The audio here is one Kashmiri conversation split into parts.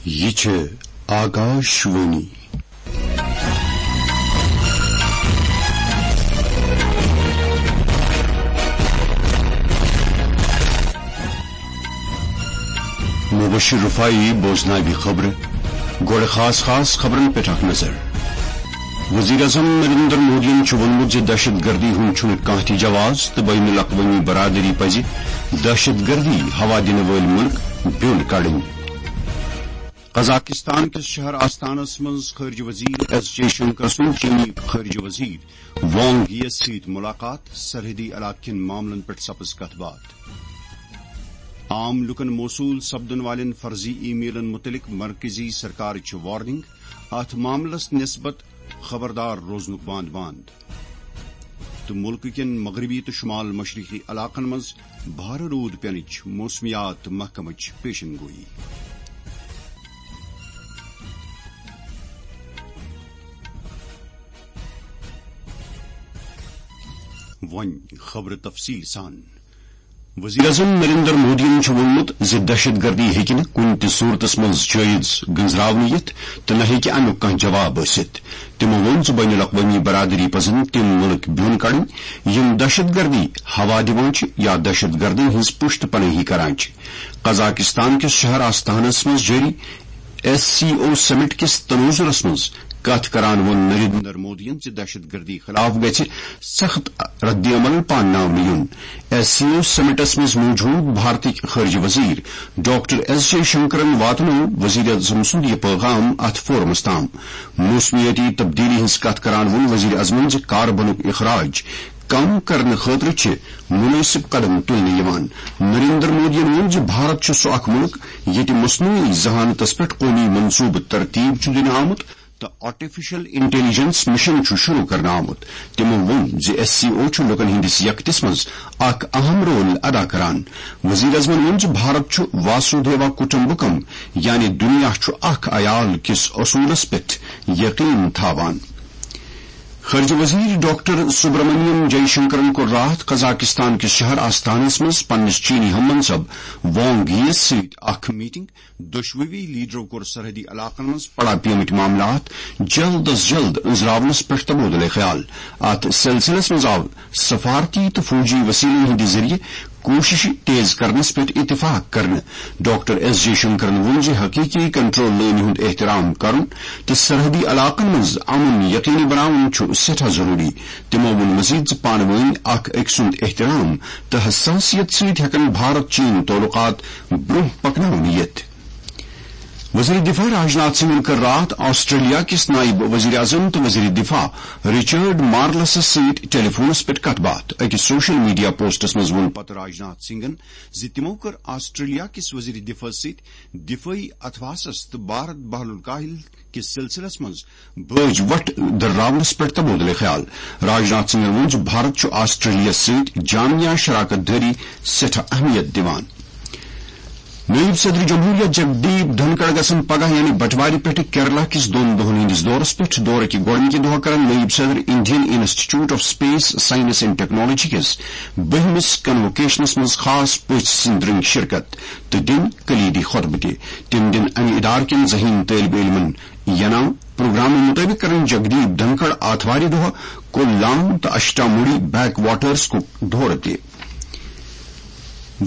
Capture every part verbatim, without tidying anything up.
یہِ چھِ آکاش وانی۔ مبشر رفاعی بوزناوِ خبرٕ۔ گۄڈٕ خاص خاص خبرن پٮ۪ٹھ اکھ نظر۔ وزیر اعظم نریندر مودیَن چھُ ووٚنمُت زِ دہشت گردی ہُنٛد چھُنہٕ کانٛہہ تہِ جواز تہٕ بین الاقوٲمی برادری پزِ دہشت گردی ہوا دِنہٕ وٲلۍ مُلک بیوٚن کڑٕنۍ۔ قزاقستان کِس شہر آستانس منٛز خارجہ وزیر ایس جے شنکر سُنٛد چینی خارجہ وزیر وانگ ییَس سۭتۍ ملاقات، سرحدی علاقہٕ کٮ۪ن معاملن پٮ۪ٹھ سپٕز کتھ باتھ۔ عام لوٗکن موصول سپدن والٮ۪ن فرضی ای میلن مُتعلق مرکزی سرکارٕچ چھِ وارننگ، اتھ معاملس نسبت خبردار روزنُک بانٛد بانٛد۔ تہٕ مُلکہٕ کٮ۪ن مغربی تہٕ شمال مشرقی علاقن منٛز بھارٕ روٗد پینٕچ موسمیات محکمٕچ پیشن گویی۔ وۄنۍ خبرٕ تفصیٖل سان۔ وزیر اعظم نریندر مودیَن چھُ ووٚنمُت زِ دہشت گردی ہیٚکہِ نہٕ کُنہِ تہِ صورتس منٛز جٲیز گٔنزراونہٕ یِتھ تہٕ نہ ہیٚکہِ امیُک کانٛہہ جواب ٲسِتھ۔ تِمو ووٚن زِ بین الاقوٲمی برادری پزن تِم مُلک بیوٚن کڑٕنۍ، یِم دہشت گردی ہوا دِوان چھِ یا دہشت گردن ہٕنٛز پُشت پنٲہی کران چھِ۔ قزاقستان کِس شہر آستانس منٛز جٲری ایس سی او سمٹ کِس تناظرس منٛز کتھ کران ووٚن نریندر مودیَن زِ دہشت گردی خلاف گژھِ سخت رد عمل پانناونہٕ یُن۔ ایس سی او سمٹس منٛز موجود بھارتٕکۍ خارجہ وزیر ڈاکٹر ایس جے شنکرن واتنوو وزیر اعظم سُنٛد یہِ پیغام اتھ فورمس تام۔ موسمیٲتی تبدیلی ہٕنٛز کتھ کران ووٚن وزیر اعظمن زِ کاربنُک اخراج کم کرنہٕ خٲطرٕ چھِ مُنٲسِب قدم تُلنہٕ یِوان۔ نریندر مودیَن ووٚن زِ بھارت چھُ سُہ اکھ مُلک ییٚتہِ مصنوعی ذہانتس پٮ۪ٹھ قومی منصوبہٕ ترتیب چھُ دِنہٕ آمُت تہٕ آرٹیفیشل انٹیلیجنس مشن چھُ شروع کرنہٕ آمُت۔ تِمو ووٚن زِ ایس سی او چھُ لوٗکن ہٕنٛدِس یکتِس منٛز اکھ اہم رول ادا کران۔ وزیر اعظمن ووٚن زِ بھارت چھُ واسودھیوا کٹمبکم، یعنی دُنیا چھُ اکھ عیال کِس اصوٗلس پٮ۪ٹھ یقین تھاوان۔ خارجہ وزیر ڈاکٹر سبرامنیم جے شنکرن کوٚر راتھ قزاقستان کِس شہر آستانس منٛز پننِس چینی ہم منصب وانگ ییَس سۭتۍ اکھ میٹنگ۔ دۄشوٕے لیڈرو کوٚر سرحدی علاقن منٛز پڑا پیمٕتۍ معاملات جلد از جلد أنٛزراونس پٮ۪ٹھ تبادلہ خیال۔ اتھ سلسلس منٛز آو سفارتی تہٕ فوجی وسیلن ہٕنٛدِ ذٔریعہٕ کوٗششہٕ تیز کرنس پٮ۪ٹھ اتفاق کرنہٕ۔ ڈاکٹر ایس جے شنکرن ووٚن زِ حقیقی کنٹرول لٲنہِ ہُنٛد احترام کرُن تہٕ سرحدی علاقن منٛز امن یقینی بناوُن چھُ سٮ۪ٹھاہ ضروٗری۔ تِمو ووٚن مزید زِ پانہٕ وٲنۍ اکھ أکۍ سُنٛد احترام تہٕ حساسیت سۭتۍ ہٮ۪کن بھارت چین تعلقات برٛونٛہہ پکناونہٕ یِتھ۔ وزیر دفاع راجناتھ سنگھن کٔر راتھ آسٹریلیا کِس نائب وزیر اعظم تہٕ وزیر دفاع رچرڈ مارلسس سۭتۍ ٹیلی فونس پٮ۪ٹھ کتھ باتھ۔ أکِس سوشل میڈیا پوسٹس منٛز ووٚن پتہٕ راجناتھ سنگھن زِ تِمو کٔر آسٹریلیا کِس وزیر دفاعس سۭتۍ دفٲعی اتھواسس تہٕ بھارت بحر الکاہل کِس سلسلس منٛز بٲج وٹھ دٔرراونس پٮ۪ٹھ تبادلہ خیال۔ راجناتھ سنگھن ووٚن زِ بھارت چھُ آسٹریلیاہس سۭتۍ جامعہ شراکت دٲری سٮ۪ٹھاہ اہمیت دِوان۔ نٲیِب صدر جمہوریہ جگدیپ دھنکڑ گژھن پگاہ یعنی بٹوارِ پٮ۪ٹھٕ کیرلا کِس دۄن دۄہن ہٕنٛدِس دورس پٮ۪ٹھ۔ دورٕ کہِ گۄڈٕنِکہِ دۄہ کرن نٲیِب صدر Indian institute of space science and technology کِس بٔہمِس کنووکیشنس منٛز خاص پٔژھۍ سٕنٛدۍ رٔنگۍ شرکت تہٕ دِن کلیدی خطبہٕ تہِ۔ تِم دِن امہِ ادارٕ کٮ۪ن ذہین طٲلب علمن انعام۔ پروگرامہٕ مُطٲبِق کرن جگدیپ دھنکڑ آتھوارِ دۄہ کولام تہٕ اشٹاموڑی بیک واٹرز کُک دورٕ تہِ۔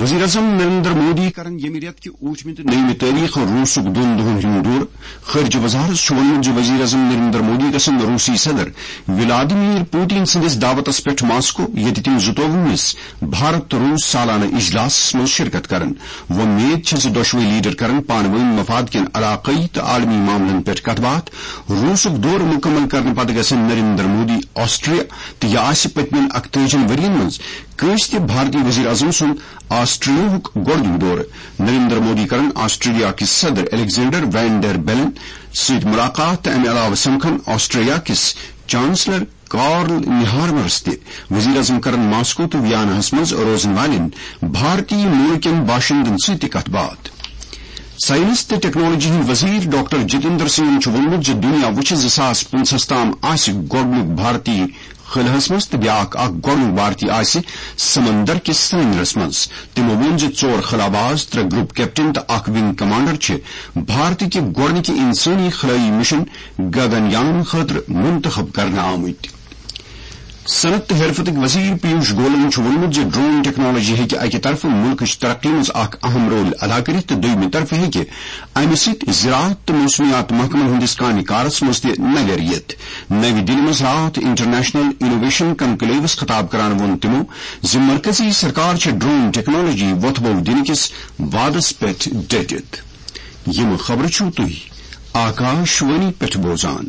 وزیر اعظم نریندر مودی کرن ییٚمہِ رٮ۪تہٕ کہِ ٲٹھمہِ تہٕ نٔیمہِ تٲریخہٕ روٗسُک دۄن دۄہن ہُنٛد دورٕ۔ خارجہ وزارت چھُ ووٚنمُت زِ وزیر اعظم نریندر مودی گژھن روٗسی صدر ولادیمیر پوتین سٕنٛدِس دعوتس پٮ۪ٹھ ماسکو، ییٚتہِ تِم زٕتووُہمِس بھارت روٗس سالانہٕ اجلاسس منٛز شرکت کرن۔ وۄمید چھِ زِ دۄشوے لیڈر کرن پانہٕ وٲنۍ مفاد کٮ۪ن علاقٲیی تہٕ عالمی معاملن پٮ۪ٹھ کتھ باتھ۔ روٗسُک دورٕ مُکمل کرنہٕ پتہٕ گژھن نریندر مودی آسٹریا تہٕ یہِ آسہِ پٔتمٮ۪ن اکتٲجی ؤرین منٛز کٲنٛسہِ تہِ بھارتی وزیر اعظم سُنٛد آسٹریاہُک گۄڈٕنیُک دورٕ۔ نریندر مودی کرن آسٹریلیا کِس صدر الیگزینڈر وین ڈر بیلن سۭتۍ مُلاقات تہٕ امہِ علاوٕ سمکھن آسٹریلیا کِس چانسلر کارل نیہارمرس تہِ۔ وزیر اعظم کرن ماسکو تہٕ ویاناہس منٛز روزن والٮ۪ن بھارتی مُلکن باشندن سۭتۍ تہِ کتھ باتھ۔ ساینس تہٕ ٹیکنالوجی ہٕنٛدۍ وزیر ڈاکٹر جتیندر سنگھن چھُ ووٚنمُت زِ دُنیا وُچھِ زٕ ساس پٕنٛژٕہَس تام آسہِ گۄڈٕنیُک بھارتی خلہس منٛز تہٕ بیٛاکھ اکھ گۄڈٕنیُک بھارتی آسہِ سمندر کِس سمندرس منٛز۔ تِمو ووٚن زِ ژور خلاباز، ترٛےٚ گروپ کیپٹن تہٕ اکھ ونگ کمانڈر چھِ بھارتٕکہِ گۄڈٕنِکہِ انسٲنی خلٲیی مشن گگن یان خٲطرٕ منتخب کرنہٕ آمٕتۍ۔ صنعت تہٕ حرفتٕکۍ وزیر پیوش گولن چھُ ووٚنمُت زِ ڈرون ٹیکنالوجی ہیٚکہِ اَکہِ طرفہٕ مُلکٕچ ترقی منٛز اکھ اہم رول ادا کٔرِتھ تہٕ دوٚیمہِ طرفہٕ ہیٚکہِ اَمہِ سۭتۍ زراعت تہٕ موسمیات محکمن ہٕنٛدِس کامہِ کارس منٛز تہِ نظر یِتھ۔ نَوِ دِلہِ منٛز راتھ انٹرنیشنل انوویشن کنکلیوس خطاب کران ووٚن تِمو زِ مرکزی سرکار چھِ ڈرون ٹیکنالوجی وۄتھٕ بو دِنہٕ کِس وعدس پٮ۪ٹھ ڈٔٹِتھ۔ یِم خبرٕ چھِو تُہۍ آکاش وانی پٮ۪ٹھ بوزان۔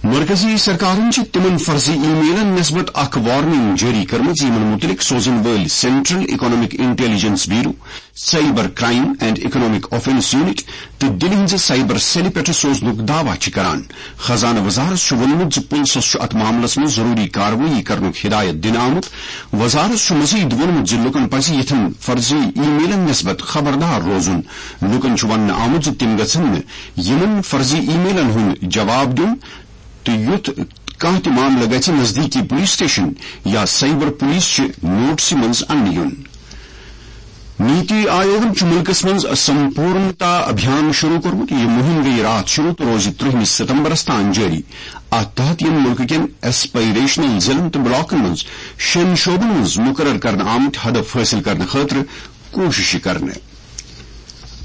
مرکزی سرکارن چھِ تِمن فرضی ای میلن نسبت اکھ وارننگ جٲری کٔرمٕژ، یِمن مُتعلق سوزن وٲلۍ central economic intelligence bureau, cyber crime and economic offence unit تہٕ دِلہِ ہٕنٛزِ سائبر سیلہِ پٮ۪ٹھ سوزنُک دعویٰ چھِ کران۔ خزانہٕ وزارت چھُ ووٚنمُت زِ پُلسس چھُ اتھ معاملس منٛز ضروٗری کاروٲیی کرنُک ہدایت دِنہٕ آمُت۔ وزارت چھُ مزید ووٚنمُت زِ لوٗکن پزِ یِتھٮ۪ن فرضی ای میلن نسبت خبردار روزُن۔ لوٗکن چھُ وننہٕ آمُت زِ تِم گژھن نہٕ یِمن فرضی ای میلن ہُنٛد جواب دیُن تہٕ یُتھ کانٛہہ تہِ معاملہٕ گژھِ نزدیٖکی پولیس سٹیشن یا سائبر پولیس چہِ نوٹسہِ منٛز اننہٕ یُن۔ نیتی آیوگن چھُ مُلکس منٛز سمپورنتا ابھیان شروع کوٚرمُت۔ یہِ مُہِم گٔیہِ راتھ شروع تہٕ روزِ ترٛہمہِ ستمبرس تام جٲری۔ اتھ تحت یِن مُلکہٕ کٮ۪ن ایسپائریشنل ضلعن تہٕ بلاکن منٛز شٮ۪ن شعبن منٛز مُقرر کرنہٕ آمٕتۍ ہدف حٲصِل کرنہٕ خٲطرٕ کوٗششہٕ کرنہٕ۔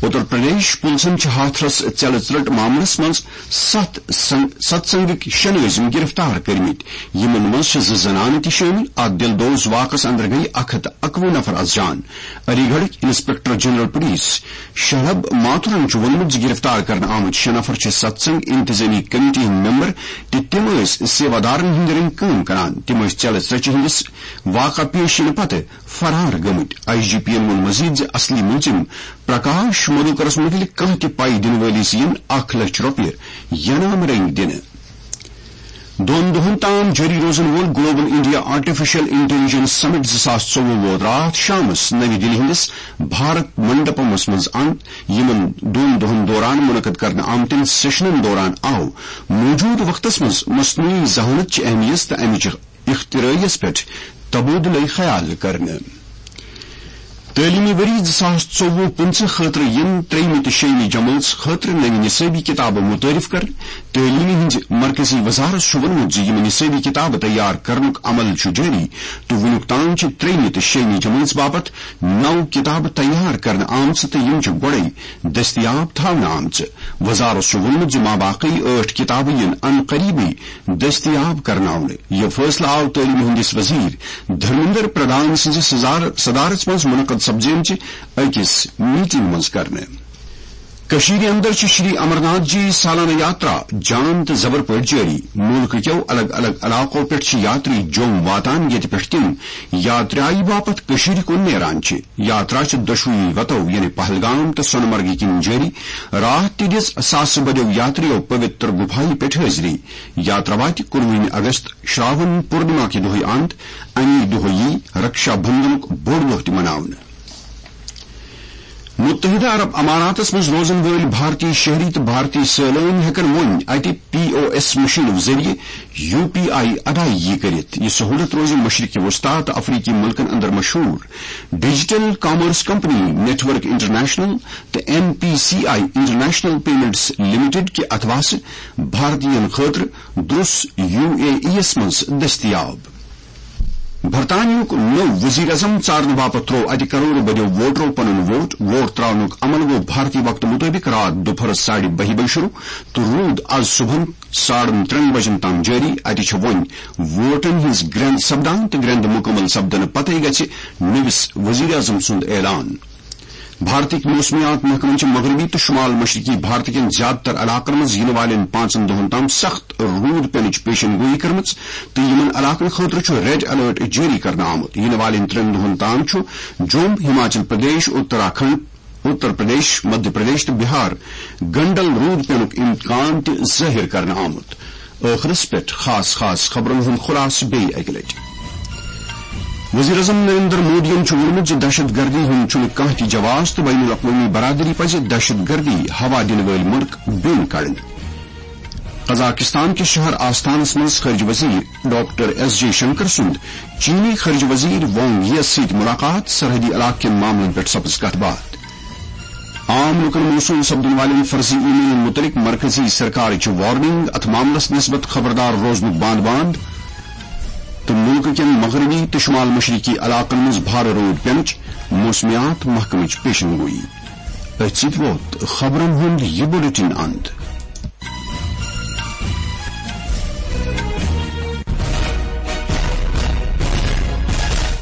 اتر پردیش پُلسن چھِ ہاتھرس ژیلہٕ ژرٛٹھ معاملس منٛز ستھ سنگ-، ستسنگٕکۍ شےٚ نٲظِم گرفتار کٔرمٕتۍ۔ یِمن منٛز چھِ زٕ زنانہٕ تہِ شٲمِل۔ اتھ دِل دوز واقعس اندر گٔیہِ اکھ ہتھ اکوُہ نفر از جان۔ علی گڑھٕکۍ انسپکٹر جنرل پولیس شہب ماتھرن چھُ ووٚنمُت زِ گرفتار کرنہٕ آمٕتۍ شےٚ نفر چھِ ستسنگ انتظامی کمیٹی ہٕنٛدۍ ممبر تہٕ تِم ٲسۍ سیوا دارن ہٕنٛدۍ رٔنگۍ کٲم کران۔ تِم ٲسۍ ژیلہٕ ژرٛٹھِ ہٕنٛدِس واقعہٕ پیش یِنہٕ پتہٕ فرار گٔمٕتۍ۔ آئی جی پی یَن ووٚن مزید زِ اصلی مُلزِم پرکاش مدھوکرس مُتعلق کانٛہہ تہِ پاے دِنہٕ وٲلِس یِن اکھ لچھ رۄپیہِ ینامہٕ رٔنگۍ دِنہٕ۔ دۄن دۄہن تام جٲری روزن وول گلوبل انڈیا آرٹیفیشل انٹیلیجنس سمٹ زٕ ساس ژوٚوُہ ووت راتھ شامس نَوِ دِلہِ ہٕنٛدِس بھارت منڈپمس منٛز انٛد۔ یِمن دۄن دۄہن دوران منعقد کرنہٕ آمتٮ۪ن سیشنن دوران آو موجودٕ وقتس منٛز مصنوعی ذہانت چہِ اہمیت تہٕ امِچ اختراعیس پٮ۪ٹھ تبادلہٕ خیال کرنہٕ۔ تعلیمی ؤری زٕ ساس ژوٚوُہ پٕنٛژٕہ خٲطرٕ یِن ترٛیٚیمہِ تہٕ شیٚیمہِ جمٲژ خٲطرٕ نوِ نصٲبی کِتابہٕ متعارف کرنہٕ۔ تعلیمہِ ہٕنٛزِ مرکزی وزارت چھُ ووٚنمُت زِ یِم نصٲبی کِتابہٕ تیار کرنُک عمل چھُ جٲری تہٕ وُنیُک تام چھِ ترٛیٚیمہِ تہٕ شیٚیمہِ جمٲژ باپتھ نَو کِتابہٕ تیار کرنہٕ آمژٕ تہٕ یِم چھِ گۄڈَے دٔستیاب تھاونہٕ آمژٕ۔ وزارت چھُ ووٚنمُت زِ ماباقی ٲٹھ کِتابہٕ یِن ان قریبٕے دٔستیاب کرناونہٕ۔ یہِ فٲصلہٕ آو تعلیمہِ ہٕنٛدِس وزیر دھرمیندر پردھان سٕنٛزِ صدار-، صدارت منٛز منعقد سپدیمژِ أکِس میٹنگ منٛز کرنہٕ۔ کٔشیٖرِ اندر چھِ شری امرناتھ جی سالانہٕ یاترا جان تہٕ زبر پٲٹھۍ جٲری۔ مُلکہٕ کیو الگ الگ علاقو پٮ۪ٹھ چھِ یاتری جوٚم واتان، ییٚتہِ پٮ۪ٹھ تِم یاترایہِ باپتھ کٔشیٖرِ کُن نیران چھِ۔ یاترا چھِ دۄشوٕے وتو یعنی پہلگام تہٕ سۄنہٕ مرگہِ کِنۍ جٲری۔ راتھ تہِ دِژ ساسہٕ بٔدیو یاترِیو پویتر گُپھایہِ پٮ۪ٹھ حٲضری۔ یاترا واتہِ کُنوُہمہِ اگست شراون پورنما کہِ دۄہٕے اند۔ اَمی دۄہٕے یی رکشا بندھنُک بوٚڑ دۄہ تہِ مناونہٕ۔ متحدہ عرب اماراتس منٛز روزن وٲلۍ بھارتی شہری تہٕ بھارتی سٲلٲنۍ ہٮ۪کن وۄنۍ اتہِ پی او ایس مشینو ذٔریعہٕ یو پی آئی ادائیگی کٔرِتھ۔ یہِ سہولت روزِ مشرق وسطی تہٕ افریقی ملکن اندر مشہور۔ Digital commerce company network international تہٕ N P C I international payments limited کہِ اتھواسہٕ بھارتین خٲطرٕ درس یو اے ای یس منٛز دٔستیاب۔ برطانیہُک نوٚو وزیر اعظم ژارنہٕ باپتھ تروو اتہِ کرورٕ بٔدیو ووٹرو پنُن ووٹ۔ ووٹ تراونُک عمل گوٚو بھارتی وقتہٕ مطٲبق راتھ دُپہرس ساڑِ بہہِ بجہِ شروع تہٕ روٗد از صبحن ساڑن ترٛٮ۪ن بجن تام جٲری۔ اتہِ چھِ وۄنۍ ووٹن ہٕنٛز گرٛٮ۪ند سپدان تہٕ گرٛٮ۪ند مُکمل سپدنہٕ پتَے گژھِ نٔوِس وزیر اعظم سُنٛد اعلان۔ بھارتٕکۍ موسمیات محکمن چھِ مغربی تہٕ شمال مشرقی بھارت کٮ۪ن زیادٕ تر علاقن منٛز یِنہٕ والٮ۪ن پانٛژن دۄہن تام سخت روٗد پینٕچ پیشن گویی کٔرمٕژ تہٕ یِمن علاقن خٲطرٕ چھُ ریڈ الرٹ جٲری کرنہٕ آمُت۔ یِنہٕ والٮ۪ن ترٛٮ۪ن دۄہن تام چھُ جوٚم، ہماچل پردیش، اتراکھنڈ، اتر پردیش، مدھیہ پردیش تہٕ بہار گنڈل روٗد پینُک امکان تہِ ظٲہِر کرنہٕ آمُت۔ ٲخرس پٮ۪ٹھ خاص خاص خبرن ہُنٛد خلاصہٕ بیٚیہِ اکہِ لٹہِ۔ وزیر اعظم نریندر مودیَن چھُ ووٚنمُت زِ دہشت گردی ہُنٛد چھُنہٕ کانٛہہ تہِ جواز تہٕ بین الاقوٲمی برادری پزِ دہشت گردی ہوا دِنہٕ وٲلۍ مُلک بیوٚن کڑٕنۍ۔ قزاقستان کِس شہر آستانس منٛز خارجہ وزیر ڈاکٹر ایس جے شنکر سُنٛد چینی خارجہ وزیر وانگ ییَس سۭتۍ ملاقات، سرحدی علاقہٕ کٮ۪ن معاملن پٮ۪ٹھ سپٕز کتھ باتھ۔ عام لوٗکن موصوٗل سپدن والٮ۪ن فرضی ای میلن مُتعلق مرکزی سرکارٕچ وارننگ، اتھ معاملس نسبت خبردار روزنُک بانٛد بانٛد۔ تہٕ مُلکہٕ کٮ۪ن مغربی تہٕ شمال مشرقی علاقن منٛز بھارٕ روٗد پینٕچ موسمیات محکمٕچ پیشن گویی۔ أتھۍ سۭتۍ ووت خبرن ہُنٛد یہِ بلیٹن اند۔